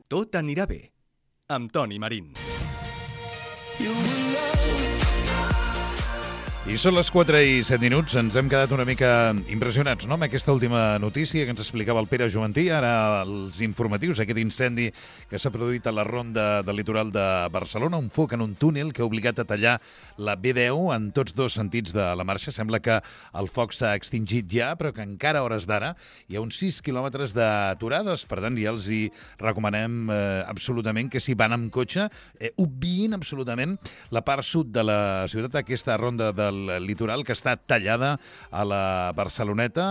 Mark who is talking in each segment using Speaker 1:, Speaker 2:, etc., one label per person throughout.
Speaker 1: Tot anirà bé, amb Toni Marín.
Speaker 2: I són les 4:07. Ens hem quedat una mica impressionats, no?, amb aquesta última notícia que ens explicava el Pere Juventí. Ara els informatius, aquest incendi que s'ha produït a la ronda del litoral de Barcelona, un foc en un túnel que ha obligat a tallar la B10 en tots dos sentits de la marxa. Sembla que el foc s'ha extingit ja, però que encara a hores d'ara hi ha uns 6 quilòmetres d'aturades. Per tant, ja els hi recomanem absolutament que si van amb cotxe, obviïn absolutament la part sud de la ciutat, aquesta ronda del litoral que està tallada a la Barceloneta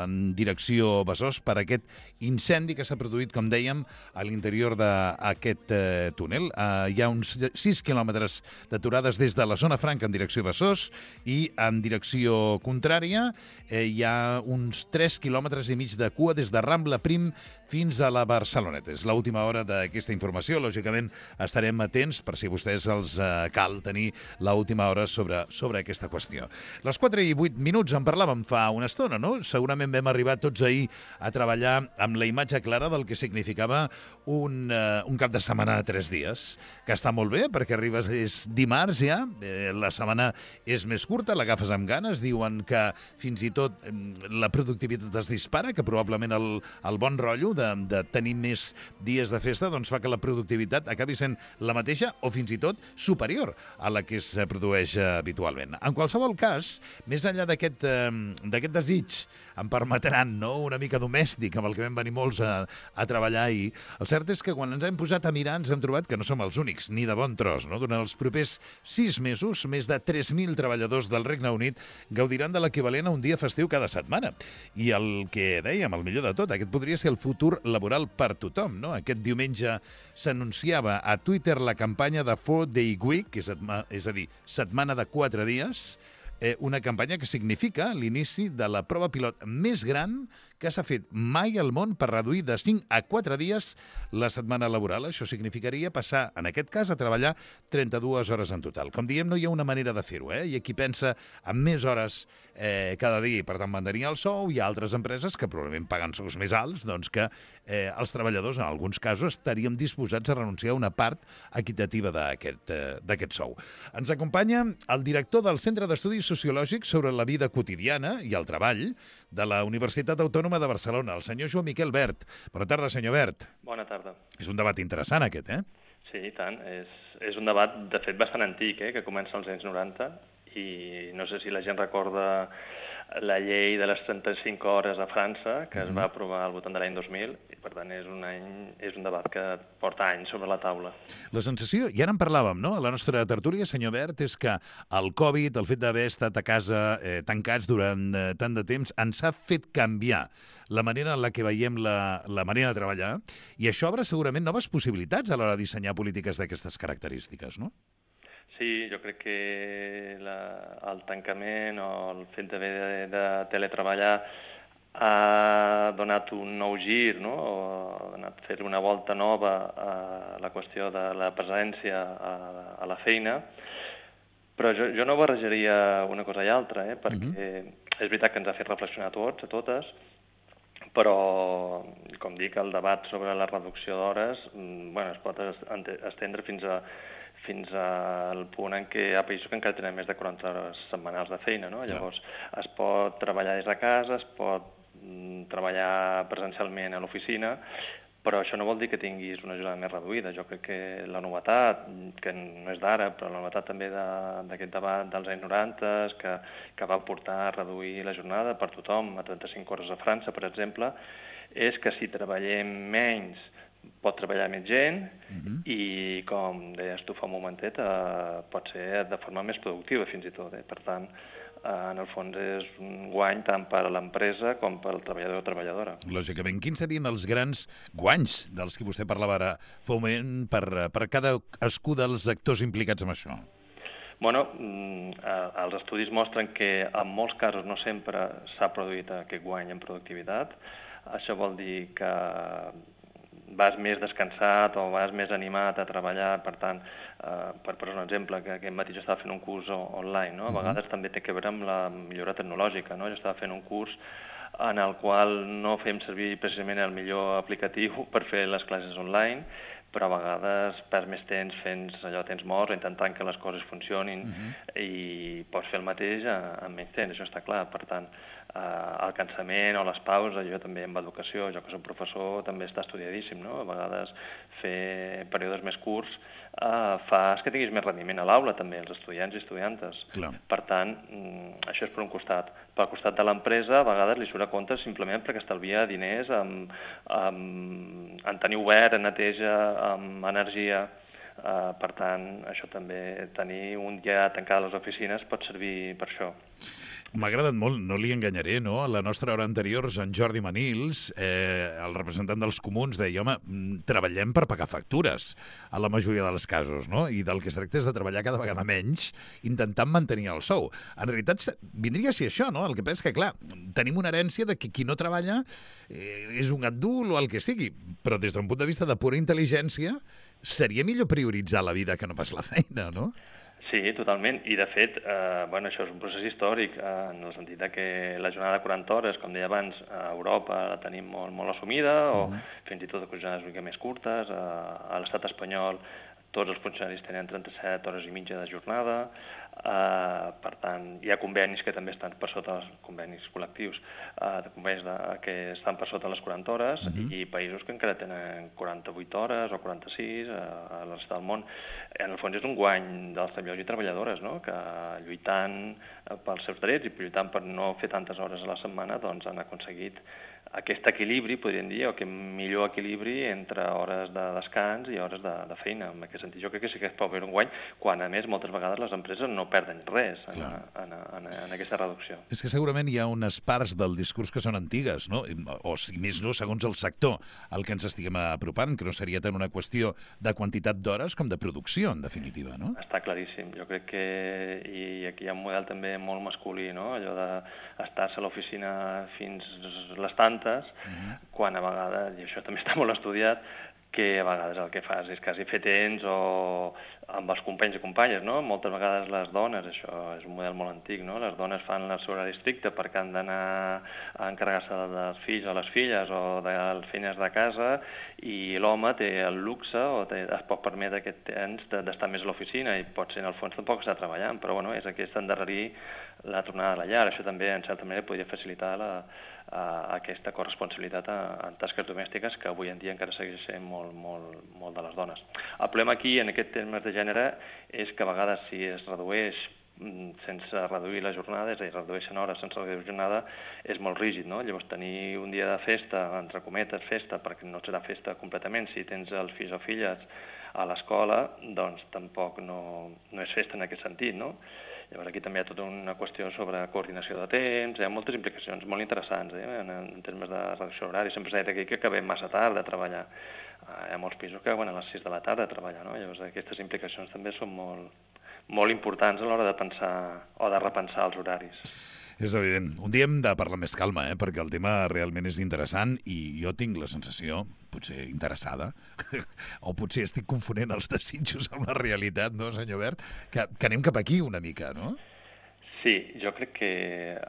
Speaker 2: en direcció Besòs per aquest incendi que s'ha produït, com dèiem, a l'interior d'aquest túnel. Hi ha uns 6 quilòmetres d'aturades des de la zona franca en direcció Besòs i en direcció contrària hi ha uns 3 quilòmetres i mig de cua des de Rambla Prim fins a la Barceloneta. És l'última hora d'aquesta informació. Lògicament estarem atents per si a vostès els cal tenir l'última hora sobre aquesta qüestió. Les 4:08 en parlàvem fa una estona, no? Segurament vam arribar tots ahir a treballar amb la imatge clara del que significava un cap de setmana de 3 dies, que està molt bé perquè arribes, és dimarts ja, la setmana és més curta, l'agafes amb ganes, diuen que fins i tot la productivitat es dispara, que probablement el bon rotllo de tenir més dies de festa doncs fa que la productivitat acabi sent la mateixa o fins i tot superior a la que es produeix habitualment. En qualsevol cas, més enllà d'aquest desig, em permetran, no?, una mica domèstic, amb el que vam venir molts a treballar ahir, el cert és que quan ens hem posat a mirar ens hem trobat que no som els únics, ni de bon tros, no? Durant els propers 6 mesos, més de 3.000 treballadors del Regne Unit gaudiran de l'equivalent a un dia festiu cada setmana. I el que dèiem, el millor de tot, aquest podria ser el futur laboral per tothom, no? Aquest diumenge s'anunciava a Twitter la campanya de 4-Day Week, és a dir, setmana de 4 dies, una campanya que significa l'inici de la prova pilot més gran que s'ha fet mai al món per reduir de 5 a 4 dies la setmana laboral. Això significaria passar, en aquest cas, a treballar 32 hores en total. Com diem, no hi ha una manera de fer-ho, Hi ha qui pensa en més hores cada dia i, per tant, mantenir el sou. Hi ha altres empreses que probablement paguen sous més alts, doncs que els treballadors, en alguns casos, estaríem disposats a renunciar a una part equitativa d'aquest sou. Ens acompanya el director del Centre d'Estudis Sociològics sobre la vida quotidiana i el treball de la Universitat Autònoma de Barcelona, el senyor Joan Miquel Bert. Bona tarda, senyor Bert.
Speaker 3: Bona tarda.
Speaker 2: És un debat interessant, aquest,
Speaker 3: Sí, i tant. És un debat, de fet, bastant antic, que comença als anys 90, i no sé si la gent recorda la llei de les 35 hores a França, que es va aprovar al voltant de l'any 2000, i per tant és un debat que porta anys sobre la taula.
Speaker 2: La sensació, i ara en parlàvem, no?, a la nostra tertúlia, senyor Bert, és que el Covid, el fet d'haver estat a casa tancats durant tant de temps, ens ha fet canviar la manera en la que veiem la manera de treballar, i això obre segurament noves possibilitats a l'hora de dissenyar polítiques d'aquestes característiques, no?
Speaker 3: Sí, jo crec que el tancament o el fet d'haver de teletreballar ha donat un nou gir, no? O ha donat a fer una volta nova a la qüestió de la presència a la feina, però jo no barrejaria una cosa i altra, perquè és veritat que ens ha fet reflexionar a tots, a totes, però, com dic, el debat sobre la reducció d'hores es pot estendre fins al punt en què hi ha països que encara tenen més de 40 hores setmanals de feina, no? Llavors, es pot treballar des de casa, es pot treballar presencialment a l'oficina, però això no vol dir que tinguis una jornada més reduïda. Jo crec que la novetat, que no és d'ara, però la novetat també d'aquest debat dels anys 90, que va portar a reduir la jornada per tothom a 35 hores a França, per exemple, és que si treballem menys pot treballar més gent i, com deies tu fa un momentet, pot ser de forma més productiva fins i tot. Per tant, en el fons és un guany tant per a l'empresa com per al treballador o treballadora.
Speaker 2: Lògicament, quins serien els grans guanys dels que vostè parlava ara fa un moment per cadascú dels actors implicats en això?
Speaker 3: Bueno, els estudis mostren que en molts casos no sempre s'ha produït aquest guany en productivitat. Això vol dir que vas més descansat o vas més animat a treballar, per tant, per posar un exemple, que aquest matí jo estava fent un curs online, no? A vegades també té a veure amb la millora tecnològica, no? Jo estava fent un curs en el qual no fem servir precisament el millor aplicatiu per fer les classes online, però a vegades perds més temps fent allò temps morts o intentant que les coses funcionin i pots fer el mateix amb menys temps, això està clar. Per tant, el cansament o les pauses, jo també amb educació, jo que soc professor, també està estudiadíssim, no? A vegades fer períodes més curts fas que tinguis més rendiment a l'aula també, els estudiants i estudiantes.
Speaker 2: Clar.
Speaker 3: Per tant, això és per un costat. Pel costat de l'empresa, a vegades li surt a compte simplement perquè estalvia diners en tenir obert, en neteja, en energia. Per tant, això també, tenir un dia tancat a les oficines pot servir per això.
Speaker 2: M'ha agradat molt, no li enganyaré, no? A la nostra hora anterior, en Jordi Manils, el representant dels comuns, deia, home, treballem per pagar factures, a la majoria dels casos, no? I del que es tracta és de treballar cada vegada menys, intentant mantenir el sou. En realitat, vindria a ser això, no? El que passa és que, clar, tenim una herència de que qui no treballa és un gandul o el que sigui, però des d'un punt de vista de pura intel·ligència, seria millor prioritzar la vida que no pas la feina, no?
Speaker 3: Sí, totalment. I, de fet, això és un procés històric, en el sentit que la jornada de 40 hores, com deia abans, a Europa la tenim molt, molt assumida, o fins i tot jornades una mica més curtes. A l'estat espanyol tots els funcionaris tenen 37 hores i mitja de jornada. Per tant, hi ha convenis que també estan per sota, convenis col·lectius, convenis que estan per sota les 40 hores, i països que encara tenen 48 hores o 46 a la resta del món. En el fons és un guany dels treballadors i treballadores, no? Que lluitant pels seus drets i lluitant per no fer tantes hores a la setmana, doncs han aconseguit aquest equilibri, podríem dir, o aquest millor equilibri entre hores de descans i hores de feina. En aquest sentit, jo crec que sí que es pot veure un guany, quan, a més, moltes vegades les empreses no perden res en aquesta reducció.
Speaker 2: És que segurament hi ha unes parts del discurs que són antigues, no? O, si més no, segons el sector al que ens estiguem apropant, que no seria tant una qüestió de quantitat d'hores com de producció, en definitiva, no?
Speaker 3: Està claríssim. Jo crec que i aquí hi ha un model també molt masculí, no? Allò d'estar-se a l'oficina fins les tantes, quan a vegades, i això també està molt estudiat, que a vegades el que fas és quasi fer temps o amb els companys i companyes, no? Moltes vegades les dones, això és un model molt antic, no? Les dones fan el seu horari estricte perquè han d'anar a encarregar-se dels fills o les filles o de les feines de casa, i l'home té el luxe o es pot permetre aquest temps d'estar més a l'oficina, i potser en el fons tampoc està treballant, però bueno, és aquest endarrerir la tornada a la llar. Això també, en certa manera, podria facilitar aquesta corresponsabilitat en tasques domèstiques que avui en dia encara segueix sent molt de les dones. El problema aquí, en aquest termes de gènere, és que a vegades si es redueix sense reduir la jornada, és a dir, redueixen hores sense reduir la jornada, és molt rígid, no? Llavors, tenir un dia de festa, entre cometes, festa, perquè no serà festa completament, si tens els fills o filles a l'escola, doncs tampoc no és festa en aquest sentit, no? Llavors aquí també hi ha tota una qüestió sobre coordinació de temps, hi ha moltes implicacions molt interessants en termes de reducció horària. Sempre s'ha dit aquí que acabem massa tard de treballar. Hi ha molts pisos que acaben a les 6 de la tarda a treballar, no? Llavors aquestes implicacions també són molt importants a l'hora de pensar o de repensar els horaris.
Speaker 2: És evident. Un dia hem de parlar més calma, perquè el tema realment és interessant i jo tinc la sensació, potser interessada, o potser estic confonent els desitjos amb la realitat, no, senyor Bert? Que anem cap aquí una mica, no?
Speaker 3: Sí, jo crec que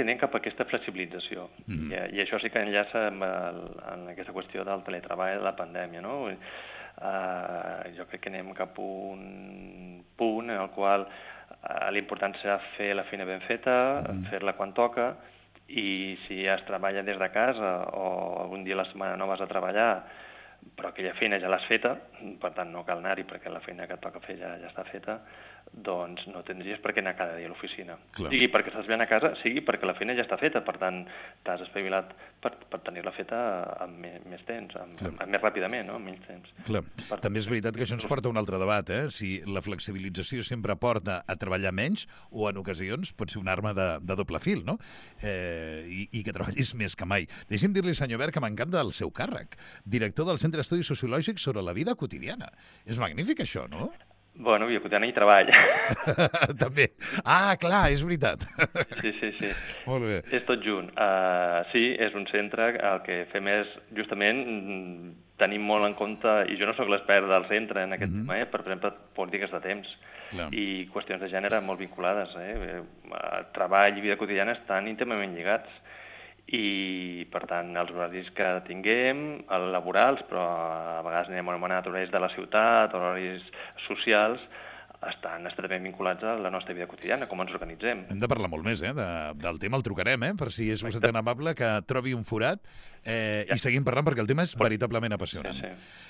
Speaker 3: anem cap a aquesta flexibilització. I això sí que enllaça amb aquesta qüestió del teletreball de la pandèmia, no? Jo crec que anem cap a un punt en el qual l'important serà fer la feina ben feta, fer-la quan toca, i si es treballa des de casa o algun dia a la setmana no vas a treballar, però aquella feina ja l'has feta, per tant no cal anar-hi perquè la feina que et toca fer ja està feta, doncs no tindries per què anar cada dia a l'oficina. Sigui perquè estàs ben a casa, sigui perquè la feina ja està feta, per tant t'has espavilat per tenir-la feta amb més temps, més ràpidament, no? Amb menys temps.
Speaker 2: Clar. També és veritat que això ens porta a un altre debat, si la flexibilització sempre porta a treballar menys o en ocasions pot ser una arma de doble fil, no? I que treballis més que mai. Deixi'm dir-li, senyor Bert, que m'encanta el seu càrrec, director del Centre d'Estudis Sociològics sobre la vida quotidiana. És magnífic, això, no?
Speaker 3: Bueno, vida quotidiana i treball.
Speaker 2: També. Ah, clar, és veritat.
Speaker 3: Sí.
Speaker 2: Molt bé.
Speaker 3: És tot junt. Sí, és un centre, el que fem és justament tenim molt en compte, i jo no sóc l'expert del centre en aquest tema, per exemple, polítiques de temps i qüestions de gènere molt vinculades. Treball i vida quotidiana estan íntimament lligats. I, per tant, els horaris que tinguem, els laborals, però a vegades anem anomenat horaris de la ciutat, horaris socials, estan estretament vinculats a la nostra vida quotidiana, com ens organitzem.
Speaker 2: Hem de parlar molt més, del tema. El trucarem, per si és vostè tan amable, que trobi un forat i seguim parlant, perquè el tema és veritablement apassionant.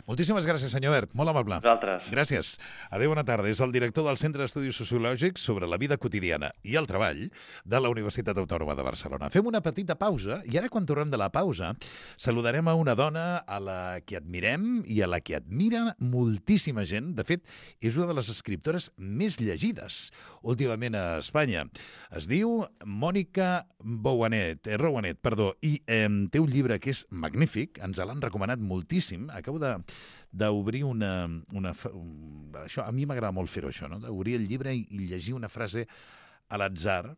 Speaker 2: Moltíssimes gràcies, senyor Bert. Molt amable.
Speaker 3: Vosaltres.
Speaker 2: Gràcies. Adéu, bona tarda. És el director del Centre d'Estudis Sociològics sobre la vida quotidiana i el treball de la Universitat Autònoma de Barcelona. Fem una petita pausa i ara, quan tornem de la pausa, saludarem a una dona a la que admirem i a la que admira moltíssima gent. De fet, és una de les escriptores més llegides últimament a Espanya. Es diu Mònica Rouanet, i té un llibre que és magnífic, ens l'han recomanat moltíssim. Acabo d'obrir això, a mi m'agrada molt fer-ho, això, no? D'obrir el llibre i llegir una frase a l'atzar,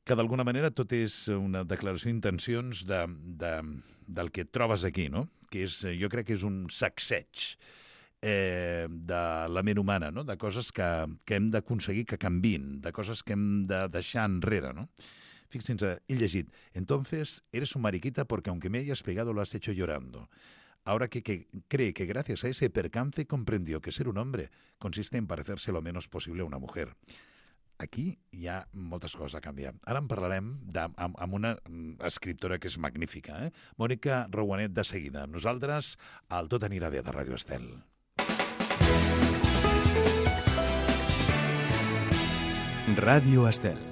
Speaker 2: que d'alguna manera tot és una declaració d'intencions del que et trobes aquí, no? Que és, jo crec que és un sacseig de la ment humana, no? De coses que hem d'aconseguir que canviïn, de coses que hem de deixar enrere, no? Fíjense, he llegit: entonces eres un mariquita porque aunque me hayas pegado lo has hecho llorando. Ahora que cree que gracias a ese percance comprendió que ser un hombre consiste en parecerse lo menos posible a una mujer. Aquí hi ha moltes coses a canviar. Ara en parlarem amb una escriptora que és magnífica, Mònica Rouanet, de seguida. Nosaltres, al Tot anirà bé de Ràdio Estel.
Speaker 1: Radio Estel.